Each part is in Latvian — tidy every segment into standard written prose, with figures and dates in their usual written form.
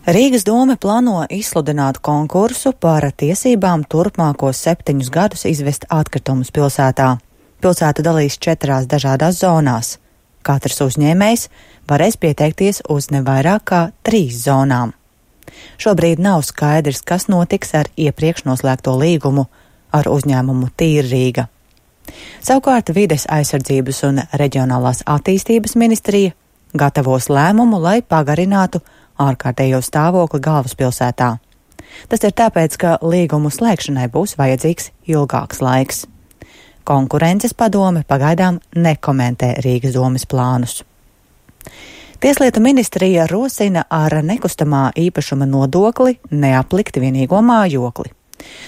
Rīgas dome plāno izsludināt konkursu par tiesībām turpmākos 7 gadus izvest atkritumus pilsētā. Pilsētu dalīs 4 dažādās zonās. Katrs uzņēmējs varēs pieteikties uz ne vairāk kā 3 zonām. Šobrīd nav skaidrs, kas notiks ar iepriekš noslēgto līgumu ar uzņēmumu Tīra Rīga. Savukārt Vides aizsardzības un reģionālās attīstības ministrija gatavos lēmumu, lai pagarinātu ārkārtējo stāvokli galvaspilsētā. Tas ir tāpēc, ka līgumu slēgšanai būs vajadzīgs ilgāks laiks. Konkurences padome pagaidām nekomentē Rīgas domes plānus. Tieslietu ministrija rosina ar nekustamā īpašuma nodokli neaplikt vienīgo mājokli.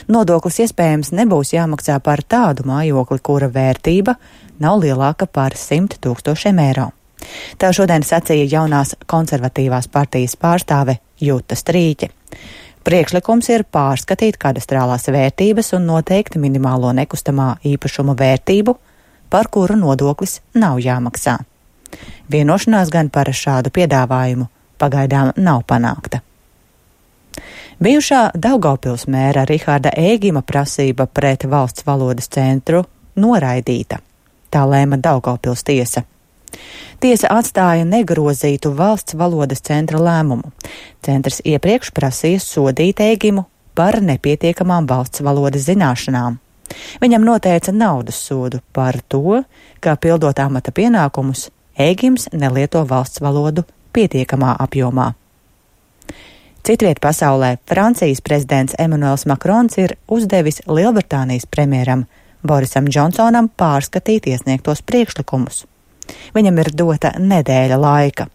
Nodoklis iespējams nebūs jāmaksā par tādu mājokli, kura vērtība nav lielāka par 100 000 eiro. Tā šodien sacīja jaunās konservatīvās partijas pārstāve Juta Strīķe. Priekšlikums ir pārskatīt kadastrālās vērtības un noteikt minimālo nekustamā īpašuma vērtību, par kuru nodoklis nav jāmaksā. Vienošanās gan par šādu piedāvājumu pagaidām nav panākta. Bijušā Daugavpils mēra Riharda Ēgima prasība pret valsts valodas centru noraidīta. Tā lēma Daugavpils tiesa. Tiesa atstāja negrozītu valsts valodas centra lēmumu. Centrs iepriekš prasīja sodīt Ēgimu par nepietiekamām valsts valodas zināšanām. Viņam noteica naudas sodu par to, ka pildot amata pienākumus, Ēgims nelieto valsts valodu pietiekamā apjomā. Citviet pasaulē Francijas prezidents Emmanuels Macrons ir uzdevis Lielbritānijas premjeram Borisam Džonsonam pārskatīt iesniegtos priekšlikumus. Viņam ir dota nedēļa laika.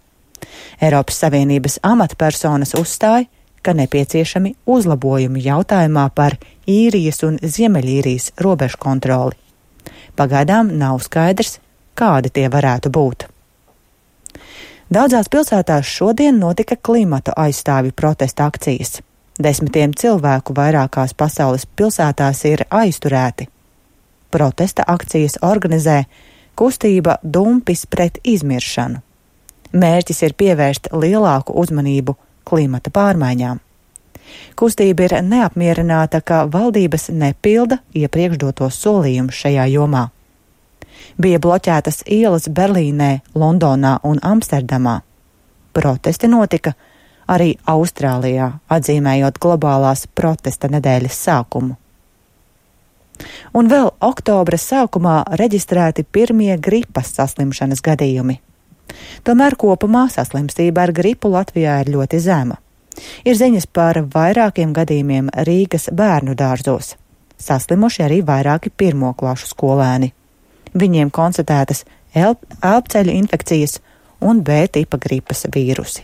Eiropas Savienības amatpersonas uzstāja, ka nepieciešami uzlabojumi jautājumā par Īrijas un Ziemeļīrijas robežu kontroli. Pagaidām nav skaidrs, kādi tie varētu būt. Daudzās pilsētās šodien notika klimata aizstāvju protesta akcijas. 10 cilvēku vairākās pasaules pilsētās ir aizturēti. Protesta akcijas organizē kustība Dumpis pret izmiršanu. Mērķis ir pievērst lielāku uzmanību klimata pārmaiņām. Kustība ir neapmierināta, ka valdības nepilda iepriekš dotos solījumus šajā jomā. Bija bloķētas ielas Berlīnē, Londonā un Amsterdamā. Protesti notika arī Austrālijā, atzīmējot globālās protesta nedēļas sākumu. Un vēl oktobra sākumā reģistrēti pirmie gripas saslimšanas gadījumi. Tomēr kopumā saslimstība ar gripu Latvijā ir ļoti zema. Ir ziņas par vairākiem gadījumiem Rīgas bērnu dārzos. Saslimuši arī vairāki pirmoklašu skolēni. Viņiem konstatētas elpceļu infekcijas un B tipa gripas vīrusi.